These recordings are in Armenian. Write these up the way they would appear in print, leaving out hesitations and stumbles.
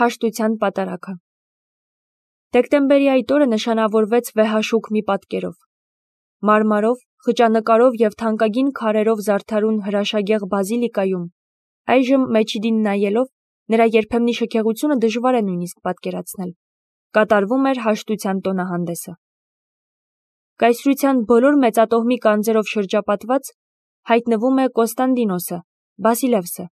Հաշտության պատարագը։ Դեկտեմբերի այդ օրը նշանավորվեց վեհաշուք մի պատկերով։ Մարմարով, խճանկարով և թանկագին քարերով զարդարուն հրաշագեղ բազիլիկայում, այժմ մեջիդին նայելով, նրա երբեմնի շքեղությունը դժվար է նույնիսկ պատկերացնել, կատարվում էր հաշտության տոնահանդեսը։ Կայսրության բոլոր մեծատոհմի կանձերով շրջապատված հայտնվում է Կոստանդինոսը, Բասիլևսը։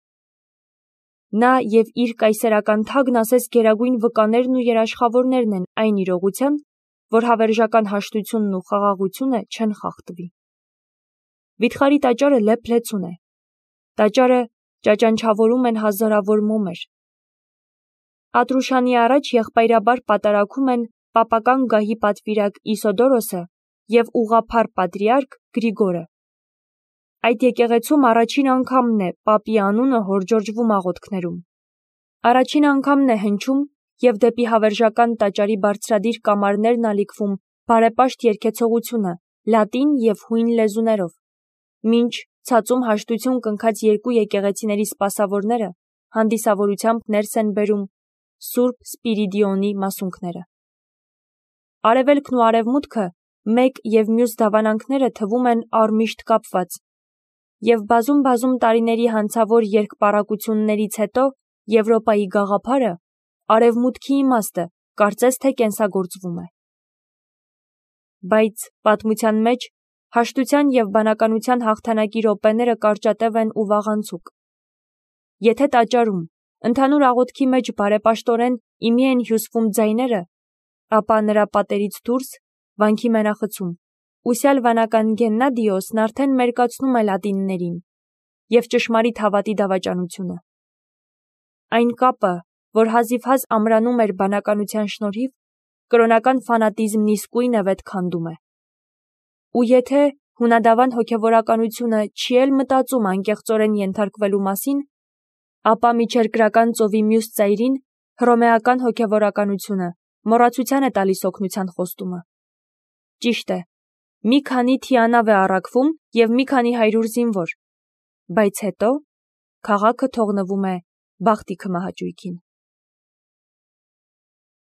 Նա և իր կայսերական թագն ասես գերագույն վկաներն ու երաշխավորներն են այն իրողության, որ հավերժական հաշտությունն ու խաղաղությունը չեն խախտվի։ Վիթխարի տաճարը լեփ-լեցուն է։ Տաճարը ճաճանչավորում են հազարավոր մոմեր։ Ատրուշանի առաջ եղբայրաբար պատարագում են պապական գահի պատվիրակ Իսոդորոսը և ուղղափառ պատրիարք Գրիգորը։ Այդ եկեղեցում առաջին անգամն է պապի անունը հորդորժվում աղոթքներում։ Առաջին անգամն է հնչում և դեպի հավերժական տաճարի բարձրադիր կամարներն ալիքվում բարեպաշտ երգեցողությունը լատին և հույն լեզուներով, մինչ ցածում հաշտություն կնքած երկու եկեղեցիների սպասավորները հանդիսավորությամբ ներս են բերում Սուրբ Սպիրիդիոնի մասունքները։ Արևելքն ու արևմուտքը մեկ և մյուս դավանանքները թվում են առմիշտ կապված, և բազում տարիների հանցավոր երկպառակություններից հետո Եվրոպայի գաղափարը, արևմուտքի իմաստը, կարծես թե կենսագործվում է։ Բայց պատմության մեջ հաշտության և բանականության հաղթանակի րոպեները կարճատև են ու վաղանցուկ։ Եթե տաճարում, ընդհանուր աղոթքի մեջ բարեպաշտորեն իմի են հյուսվում ձայները, ապա նրա պատերից դուրս, վանքի մենախցում, ուսյալ վանական Գեննադիոսն արդեն մերկացնում է լատիններին և ճշմարիտ հավատի դավաճանությունը։ Այն կապը, որ հազիվհազ ամրանում էր բանականության շնորհիվ, կրոնական ֆանատիզմն իսկույն է վետ քանդում է։ Ու եթե հունադավան հոգևորականությունը չի էլ մտածում անկեղծորեն ենթարկվելու մասին, ապա միջերկրական ծովի մյուս ծայրին հռոմեական հոգևորականությունը մոռացության է տալիս օգնության խոստումը։ Ճիշտ է, մի քանի թիանավ է առաքվում և մի քանի հարյուր զինվոր, բայց հետո քաղաքը թողնվում է բախտի քմահաճույքին։